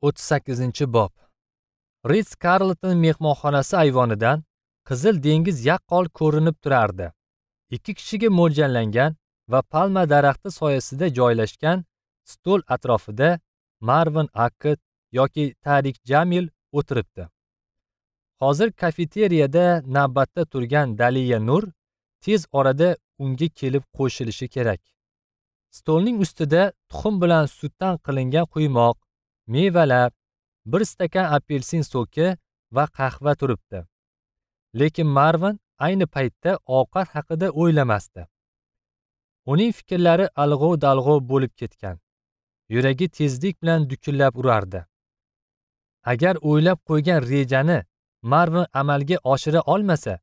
38-bob. Ritz Carlton mehmonxonasi ayvonidan Qizil dengiz yaqqol ko'rinib turardi. Ikki kishiga mo'ljallangan va palma daraxti soyasida joylashgan stol atrofida Marvin Akkad yoki Tarik Jamil o'tiribdi. Hozir kafeteriyada navbatda turgan Daliya Nur tez orada unga kelib qo'shilishi kerak. Stolning ustida tuxum bilan sutdan qilingan quymoq, mevalar, bir stakan apelsin soki va qahva turibdi. Lekin Marvin ayni paytda ovqat haqida o'ylamasdi. Uning fikrlari alg'ov-dalg'ov bo'lib ketgan. Yuragi tezlik bilan dukillab urardi. Agar o'ylab qo'ygan rejani Marvin amalga oshira olmasa,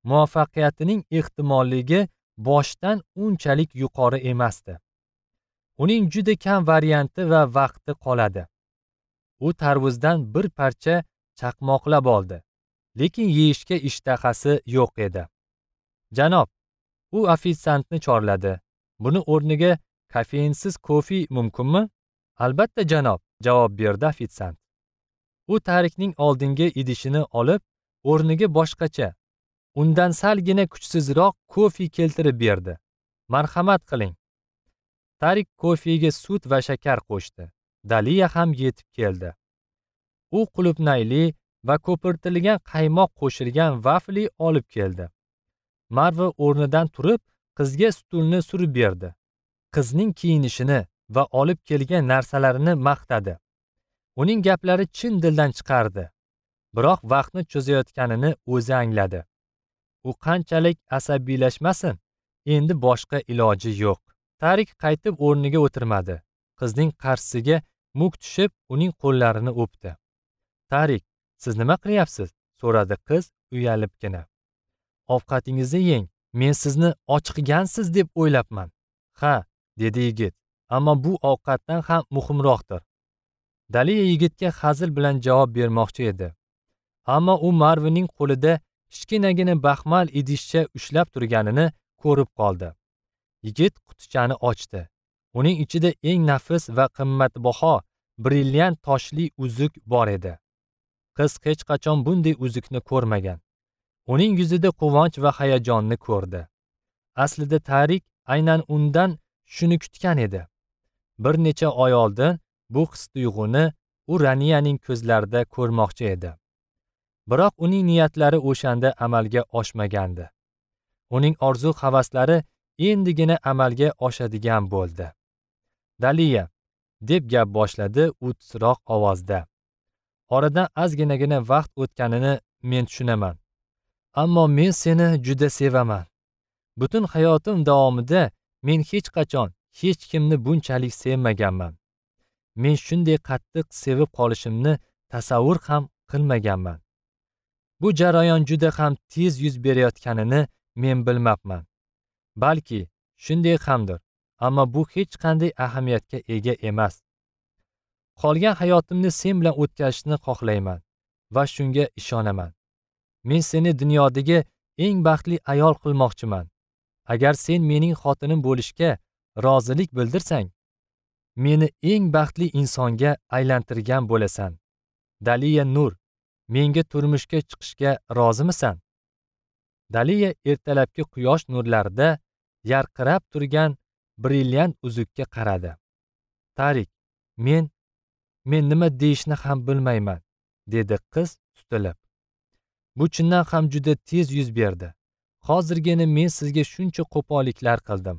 muvaffaqiyatining ehtimolligi boshdan unchalik yuqori emasdi. Uning juda kam varianti va vaqti qoladi. U tarvuzdan bir parcha chaqmoqlab oldi, lekin yeyishga ishtahasi yo'q edi. Janob, u ofitsiantni chorladi. Buni o'rniga kofeinsiz kofe mumkinmi? Albatta janob, javob berdi ofitsiant. U Tarikning oldingi idishini olib, o'rniga boshqacha, undan salgina kuchsizroq kofe keltirib berdi. Marhamat qiling. Tarik kofega sut va shakar qo'shdi. Daliya ham yetib keldi. U qulupnayli va ko'pirtirilgan qaymoq qo'shilgan vafli olib keldi. Marva o'rnidan turib, qizga stulni surib berdi. Qizning kiyinishini va olib kelgan narsalarini maqtadi. Uning gaplari chin dildan chiqardi. Biroq vaqtni cho'zayotganini o'zi angladi. U qanchalik asabiylashmasin, endi boshqa iloji yo'q. Tarik qaytib o'rniga o'tirmadi. Qizning qarshisiga muk tushib, uning qo'llarini o'pdi. Tarik, siz nima qilyapsiz? So'radi qiz uyalibgina. Ovqatingizni yeng, men sizni ochiqgansiz deb o'ylabman. Ha, dedi yigit, ammo bu ovqatdan ham muhimroqdir. Daliya yigitga hazil bilan javob bermoqchi edi. Ammo u Marvinning qo'lida kichkinagina baxmal idishcha ushlab turganini ko'rib qoldi. Yigit qutichani ochdi. Uning ichida eng nafis va qimmatbaho brilliant toshli uzuk bor edi. Qiz hech qachon bunday uzukni ko'rmagan. Uning yuzida quvonch va hayajonni ko'rdi. Aslida Tarik aynan undan shuni kutgan edi. Bir necha oy oldin bu his-tuyg'uni u Raniyaning ko'zlarida ko'rmoqchi edi. Biroq uning niyatlari o'shanda amalga oshmagandi. Uning orzu havaslari endigina amalga oshadigan bo'ldi. Daliya, deb gap boshladi u titroq ovozda. Oradan ozginagina vaqt o'tganini men tushunaman. Ammo men seni juda sevaman. Butun hayotim davomida men hech qachon hech kimni bunchalik sevmaganman. Men shunday qattiq sevib qolishimni tasavvur ham qilmaganman. Bu jarayon juda ham tez yuz berayotganini men bilmabman. Balki shunday hamdir, ammo bu hech qanday ahamiyatga ega emas. Qolgan hayotimni sen bilan o'tkazishni xohlayman va shunga ishonaman. Men seni dunyodagi eng baxtli ayol qilmoqchiman. Agar sen mening xotinim bo'lishga rozilik bildirsang, meni eng baxtli insonga aylantirgan bo'lasan. Daliya Nur, menga turmushga chiqishga rozimisan? Daliya ertalabki quyosh nurlarida yarqirab turgan brilliant uzukka qaradi. Tarik, men nima deyishni ham bilmayman, dedi qiz tutilib. Bu chindan ham juda tez yuz berdi. Hozirgina men sizga shuncha qo'polliklar qildim.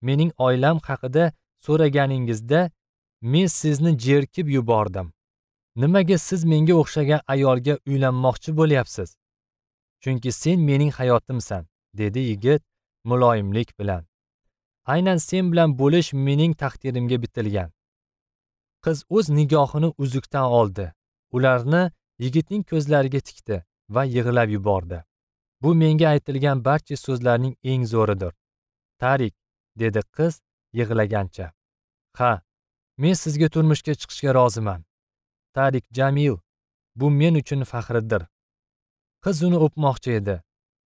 Mening oilam haqida so'raganingizda men sizni jerkib yubordim. Nimaga siz menga o'xshagan ayolga uylanmoqchi bo'lyapsiz? Chunki sen mening hayotimsan, dedi yigit muloyimlik bilan. Aynan sen bilan bo'lish mening taqdirimga bitilgan. Qiz o'z nigohini uzukdan oldi. Ularni yigitning ko'zlariga tikdi va yig'lab yubordi. Bu menga aytilgan barcha so'zlarning eng zo'ridir. Tarik, dedi qiz yig'lagancha. Ha, men sizga turmushga chiqishga roziman. Tarik Jamil, bu men uchun faxrdir. Qiz uni o'pmoqchi edi,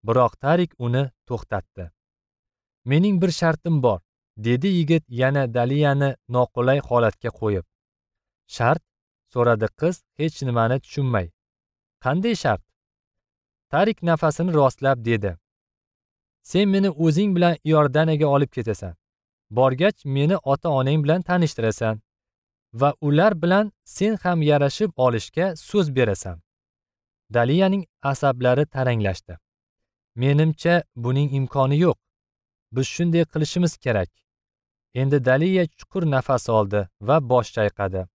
biroq Tarik uni to'xtatdi. Mening bir shartim bor, dedi yigit yana Daliyani noqulay holatga qo'yib. Shart? So'radi qiz hech nimani tushunmay. Qanday shart? Tarik nafasini rostlab dedi. Sen meni o'zing bilan Iordaniyaga olib ketasan. Borgach meni ota-onang bilan tanishtirasan va ular bilan sen ham yarashib olishga so'z berasan. Daliyaning asablari taranglashdi. Menimcha buning imkoni yo'q. Biz shunday qilishimiz kerak. Endi Daliya chuqur nafas oldi va bosh chayqadi.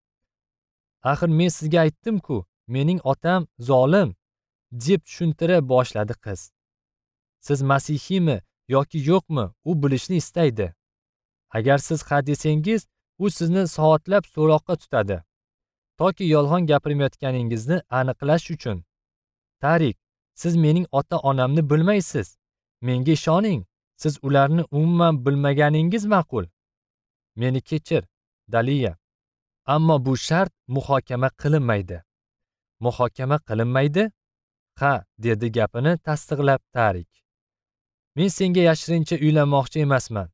Axir men sizga aytdim-ku, mening otam zolim, deb tushuntira boshladi qiz. Siz masihiymi yoki yo'qmi, u bilishni istaydi. Agar siz ha desangiz, u sizni soatlab so'roqqa tutadi, toki yolg'on gapirmayotganingizni aniqlash uchun. Tarik, siz mening ota-onamni bilmaysiz. Menga ishoning, siz ularni umuman bilmaganingiz ma'qul. Meni kechir, Daliya. Ammo bu shart muhokama qilinmaydi. Muhokama qilinmaydi? Ha, dedi gapini tasdiqlab Tarik. Men senga yashirincha uylanmoqchi emasman.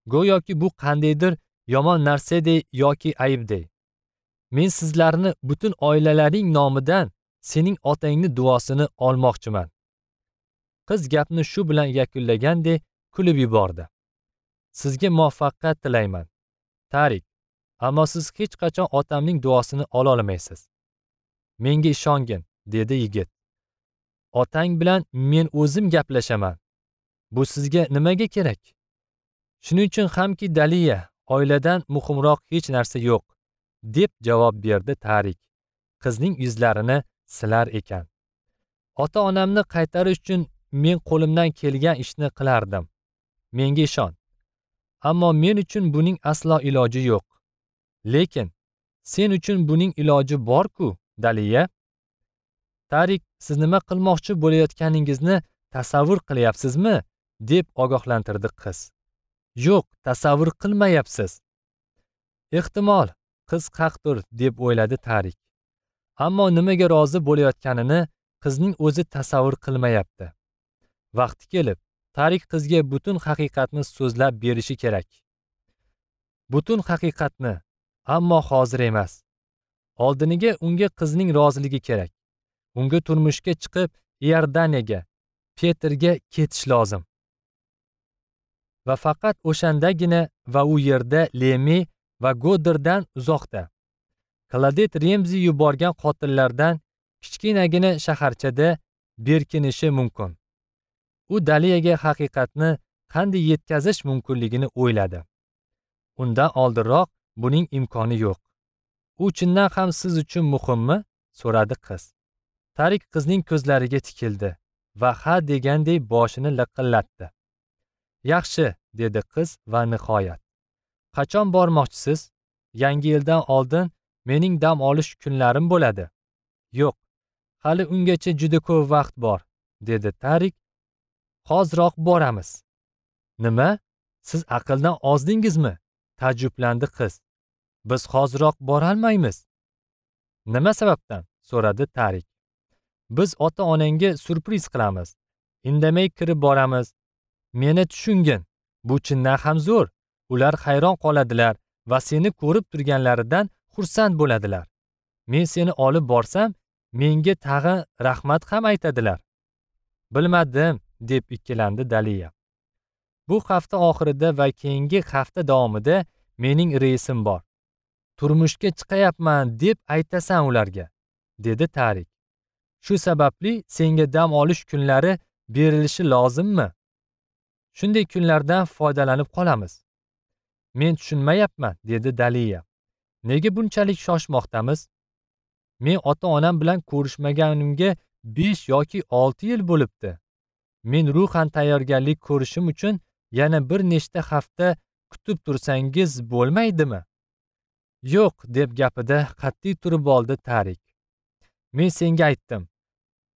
Go'yoki bu qandaydir yomon narsadek yoki aybdek. Men sizlarni butun oilalaring nomidan sening otangning duosini olmoqchiman. Qiz gapni shu bilan yakunlagandek kulib yubordi. Sizga muvaffaqiyat tilayman, Tarik. Ammo siz hech qachon otamning duosini ola olmaysiz. Menga ishongin, dedi yigit. Otang bilan men o'zim gaplashaman. Bu sizga nimaga kerak? Shuning uchun hamki Daliya, oiladan muhimroq hech narsa yo'q, deb javob berdi Tarik. Qizning yuzlarini silar ekan. Ota-onamni qaytarish uchun men qo'limdan kelgan ishni qilardim. Menga ishon. Ammo men uchun buning aslo iloji yo'q. Lekin sen uchun buning iloji bor-ku, Daliya. Tarik, siz nima qilmoqchi bo'layotganingizni tasavvur qilyapsizmi? Deb ogohlantirdi qiz. Yo'q, tasavvur qilmayapsiz. Ehtimol, qiz haqdir, deb o'yladi Tarik. Ammo nimaga rozi bo'layotganini qizning o'zi tasavvur qilmayapti. Vaqti kelib, Tarik qizga butun haqiqatni so'zlab berishi kerak. Butun haqiqatni, ammo hozir emas. Oldiniga unga qizning roziligi kerak. Unga turmushga chiqib Iordaniyaga, Petrga ketish lozim. Va faqat o'shandagina va u yerda Lemi va Goddarddan uzoqda. Klodet Remzi yuborgan qotillardan kichkinagina shaharchada berkinishi mumkin. U Daliyaga haqiqatni qanday yetkazish mumkinligini o'yladi. Undan oldinroq buning imkoni yo'q. U chindan ham siz uchun muhimmi? So'radi qiz. Tarik qizning ko'zlariga tikildi va ha degandek boshini liqillatdi. Yaxshi, dedi qiz va nihoyat. Qachon bormoqchisiz? Yangi yildan oldin mening dam olish kunlarim bo'ladi. Yo'q, hali ungacha juda ko'p vaqt bor, dedi Tarik. Hoziroq boramiz. Nima? Siz aqldan ozdingizmi? Ta'jjublandi qiz. Biz hoziroq borolmaymiz. Nima sababdan? So'radi Tarik. Biz ota-onangga syurpriz qilamiz. Indamay kirib boramiz. Meni tushungin. Bu chindan ham zo'r. Ular hayron qoladilar va seni ko'rib turganlaridan xursand bo'ladilar. Men seni olib borsam, menga tag'in rahmat ham aytadilar. Bilmadim, deb ikkilandi Daliya. Bu hafta oxirida va keyingi hafta davomida mening reysim bor. Turmushga chiqayapman deb aytasan ularga, dedi Tarik. Shu sababli senga dam olish kunlari berilishi lozimmi? Shunday kunlardan foydalanib qolamiz. Men tushunmayapman, dedi Daliya. Nega bunchalik shoshmoqdamiz? Men ota-onam bilan ko'rishmaganimga 5 yoki 6 yil bo'libdi. Men ruhan tayyorgarlik ko'rishim uchun yana bir nechta hafta kutib tursangiz bo'lmaydimi? Yo'q, deb gapida qat'iy turib oldi Tarik. Men senga aytdim.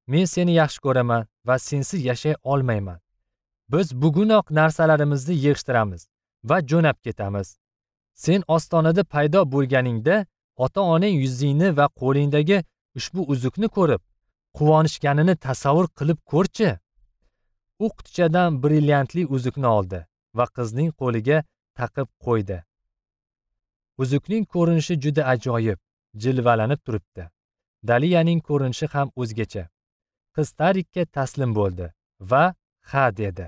Men seni yaxshi ko'raman va sensiz yashay olmayman. Biz bugunoq narsalarimizni yig'ishtiramiz va jo'nab ketamiz. Sen ostonada paydo bo'lganingda ota-onang yuzingni va qo'lingdagi ushbu uzukni ko'rib, quvonishganini tasavvur qilib ko'rchi. U qutichadan brilliantli uzukni oldi va qizning qo'liga taqib qo'ydi. Uzukning ko'rinishi juda ajoyib jilvalanib turibdi. Daliyaning ko'rinishi ham o'zgacha. Qiz Tarikka taslim bo'ldi va ha dedi.